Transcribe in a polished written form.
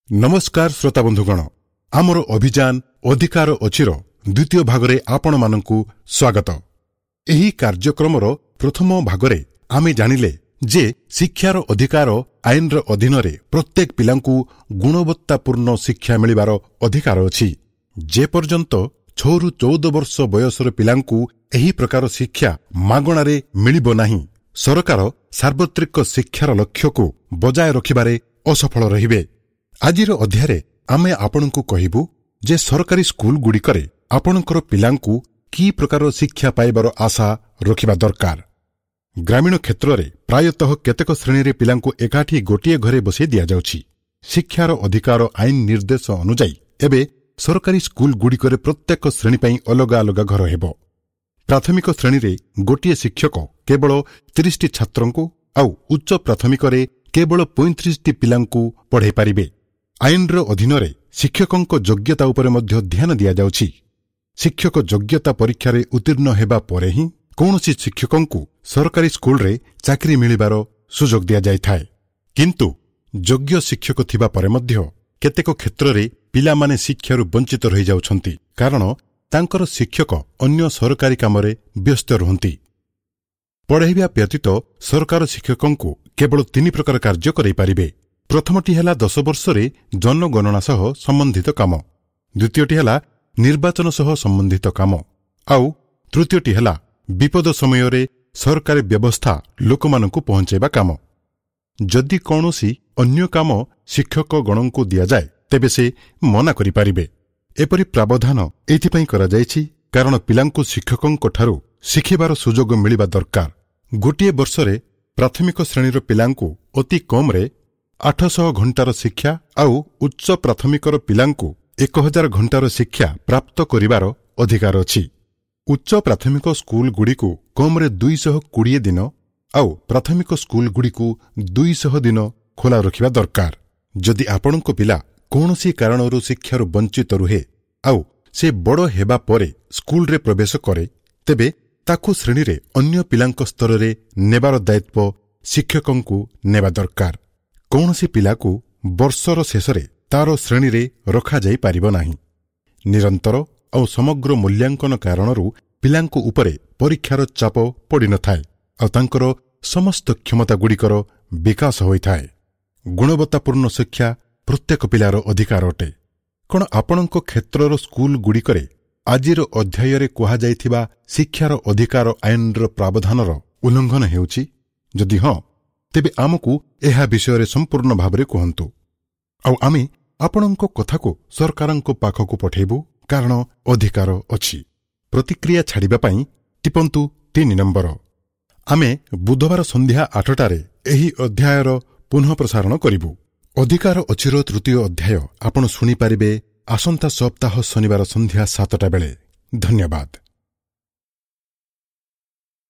ନମସ୍କାର ଶ୍ରୋତାବନ୍ଧୁଗଣ, ଆମର ଅଭିଯାନ ଅଧିକାର ଅଛିର ଦ୍ୱିତୀୟ ଭାଗରେ ଆପଣମାନଙ୍କୁ ସ୍ୱାଗତ। ଏହି କାର୍ଯ୍ୟକ୍ରମର ପ୍ରଥମ ଭାଗରେ ଆମେ ଜାଣିଲେ ଯେ ଶିକ୍ଷାର ଅଧିକାର ଆଇନର ଅଧୀନରେ ପ୍ରତ୍ୟେକ ପିଲାଙ୍କୁ ଗୁଣବତ୍ତାପୂର୍ଣ୍ଣ ଶିକ୍ଷା ମିଳିବାର ଅଧିକାର ଅଛି। ଯେପର୍ଯ୍ୟନ୍ତ 6ରୁ 14 ବର୍ଷ ବୟସର ପିଲାଙ୍କୁ ଏହି ପ୍ରକାର ଶିକ୍ଷା ମାଗଣାରେ ମିଳିବ ନାହିଁ, ସରକାର ସାର୍ବତ୍ରିକ ଶିକ୍ଷାର ଲକ୍ଷ୍ୟକୁ ବଜାୟ ରଖିବାରେ ଅସଫଳ ରହିବେ। ଆଜିର ଅଧ୍ୟାୟରେ ଆମେ ଆପଣଙ୍କୁ କହିବୁ ଯେ ସରକାରୀ ସ୍କୁଲଗୁଡ଼ିକରେ ଆପଣଙ୍କର ପିଲାଙ୍କୁ କି ପ୍ରକାର ଶିକ୍ଷା ପାଇବାର ଆଶା ରଖିବା ଦରକାର। ଗ୍ରାମୀଣ କ୍ଷେତ୍ରରେ ପ୍ରାୟତଃ କେତେକ ଶ୍ରେଣୀରେ ପିଲାଙ୍କୁ ଏକାଠି ଗୋଟିଏ ଘରେ ବସାଇ ଦିଆଯାଉଛି। ଶିକ୍ଷାର ଅଧିକାର ଆଇନ ନିର୍ଦ୍ଦେଶ ଅନୁଯାୟୀ ଏବେ ସରକାରୀ ସ୍କୁଲଗୁଡ଼ିକରେ ପ୍ରତ୍ୟେକ ଶ୍ରେଣୀ ପାଇଁ ଅଲଗା ଅଲଗା ଘର ହେବ। ପ୍ରାଥମିକ ଶ୍ରେଣୀରେ ଗୋଟିଏ ଶିକ୍ଷକ କେବଳ 30ଟି ଛାତ୍ରଙ୍କୁ ଆଉ ଉଚ୍ଚ ପ୍ରାଥମିକରେ କେବଳ 35ଟି ପିଲାଙ୍କୁ ପଢ଼ାଇ ପାରିବେ। ଆଇନର ଅଧୀନରେ ଶିକ୍ଷକଙ୍କ ଯୋଗ୍ୟତା ଉପରେ ମଧ୍ୟ ଧ୍ୟାନ ଦିଆଯାଉଛି। ଶିକ୍ଷକ ଯୋଗ୍ୟତା ପରୀକ୍ଷାରେ ଉତ୍ତୀର୍ଣ୍ଣ ହେବା ପରେ ହିଁ କୌଣସି ଶିକ୍ଷକଙ୍କୁ ସରକାରୀ ସ୍କୁଲରେ ଚାକିରି ମିଳିବାର ସୁଯୋଗ ଦିଆଯାଇଥାଏ। କିନ୍ତୁ ଯୋଗ୍ୟ ଶିକ୍ଷକ ଥିବା ପରେ ମଧ୍ୟ କେତେକ କ୍ଷେତ୍ରରେ ପିଲାମାନେ ଶିକ୍ଷାରୁ ବଞ୍ଚିତ ରହିଯାଉଛନ୍ତି, କାରଣ ତାଙ୍କର ଶିକ୍ଷକ ଅନ୍ୟ ସରକାରୀ କାମରେ ବ୍ୟସ୍ତ ରୁହନ୍ତି। ପଢ଼ାଇବା ବ୍ୟତୀତ ସରକାର ଶିକ୍ଷକଙ୍କୁ କେବଳ 3 ପ୍ରକାର କାର୍ଯ୍ୟ କରାଇପାରିବେ। ପ୍ରଥମଟି ହେଲା 10 ବର୍ଷରେ ଜନଗଣନା ସହ ସମ୍ବନ୍ଧିତ କାମ, ଦ୍ୱିତୀୟଟି ହେଲା ନିର୍ବାଚନ ସହ ସମ୍ବନ୍ଧିତ କାମ, ଆଉ ତୃତୀୟଟି ହେଲା ବିପଦ ସମୟରେ ସରକାରୀ ବ୍ୟବସ୍ଥା ଲୋକମାନଙ୍କୁ ପହଞ୍ଚାଇବା କାମ। ଯଦି କୌଣସି ଅନ୍ୟ କାମ ଶିକ୍ଷକଗଣଙ୍କୁ ଦିଆଯାଏ ତେବେ ସେ ମନା କରିପାରିବେ। ଏପରି ପ୍ରାବଧାନ ଏଇଥିପାଇଁ କରାଯାଇଛି କାରଣ ପିଲାଙ୍କୁ ଶିକ୍ଷକଙ୍କଠାରୁ ଶିଖିବାର ସୁଯୋଗ ମିଳିବା ଦରକାର। ଗୋଟିଏ ବର୍ଷରେ ପ୍ରାଥମିକ ଶ୍ରେଣୀର ପିଲାଙ୍କୁ ଅତି କମ୍ରେ 800 ଘଣ୍ଟାର ଶିକ୍ଷା ଆଉ ଉଚ୍ଚ ପ୍ରାଥମିକର ପିଲାଙ୍କୁ 1000 ଘଣ୍ଟାର ଶିକ୍ଷା ପ୍ରାପ୍ତ କରିବାର ଅଧିକାର ଅଛି। ଉଚ୍ଚ ପ୍ରାଥମିକ ସ୍କୁଲଗୁଡ଼ିକୁ କମ୍ରେ 220 ଦିନ ଆଉ ପ୍ରାଥମିକ ସ୍କୁଲଗୁଡ଼ିକୁ 200 ଦିନ ଖୋଲା ରଖିବା ଦରକାର। ଯଦି ଆପଣଙ୍କ ପିଲା କୌଣସି କାରଣରୁ ଶିକ୍ଷାରୁ ବଞ୍ଚିତ ରୁହେ ଆଉ ସେ ବଡ଼ ହେବା ପରେ ସ୍କୁଲରେ ପ୍ରବେଶ କରେ, ତେବେ ତାକୁ ଶ୍ରେଣୀରେ ଅନ୍ୟ ପିଲାଙ୍କ ସ୍ତରରେ ନେବାର ଦାୟିତ୍ୱ ଶିକ୍ଷକଙ୍କୁ ନେବା ଦରକାର। କୌଣସି ପିଲାକୁ ବର୍ଷର ଶେଷରେ ତାର ଶ୍ରେଣୀରେ ରଖାଯାଇପାରିବ ନାହିଁ। ନିରନ୍ତର ଆଉ ସମଗ୍ର ମୂଲ୍ୟାଙ୍କନ କାରଣରୁ ପିଲାଙ୍କ ଉପରେ ପରୀକ୍ଷାର ଚାପ ପଡ଼ିନଥାଏ ଆଉ ତାଙ୍କର ସମସ୍ତ କ୍ଷମତାଗୁଡ଼ିକର ବିକାଶ ହୋଇଥାଏ। ଗୁଣବତ୍ତାପୂର୍ଣ୍ଣ ଶିକ୍ଷା ପ୍ରତ୍ୟେକ ପିଲାର ଅଧିକାର ଅଟେ। କ'ଣ ଆପଣଙ୍କ କ୍ଷେତ୍ରର ସ୍କୁଲଗୁଡ଼ିକରେ ଆଜିର ଅଧ୍ୟାୟରେ କୁହାଯାଇଥିବା ଶିକ୍ଷାର ଅଧିକାର ଆଇନର ପ୍ରାବଧାନର ଉଲ୍ଲଂଘନ ହେଉଛି? ଯଦି ହଁ, ତେବେ ଆମକୁ ଏହା ବିଷୟରେ ସମ୍ପୂର୍ଣ୍ଣ ଭାବରେ କୁହନ୍ତୁ ଆଉ ଆମେ ଆପଣଙ୍କ କଥାକୁ ସରକାରଙ୍କ ପାଖକୁ ପଠାଇବୁ, କାରଣ ଅଧିକାର ଅଛି। ପ୍ରତିକ୍ରିୟା ଛାଡ଼ିବା ପାଇଁ ଟିପନ୍ତୁ 3 ନମ୍ବର। ଆମେ ବୁଧବାର ସନ୍ଧ୍ୟା 8ଟାରେ ଏହି ଅଧ୍ୟାୟର ପୁନଃ ପ୍ରସାରଣ କରିବୁ। ଅଧିକାର ଅଛିର ତୃତୀୟ ଅଧ୍ୟାୟ ଆପଣ ଶୁଣିପାରିବେ ଆସନ୍ତା ସପ୍ତାହ ଶନିବାର ସନ୍ଧ୍ୟା 7ଟା ବେଳେ। ଧନ୍ୟବାଦ।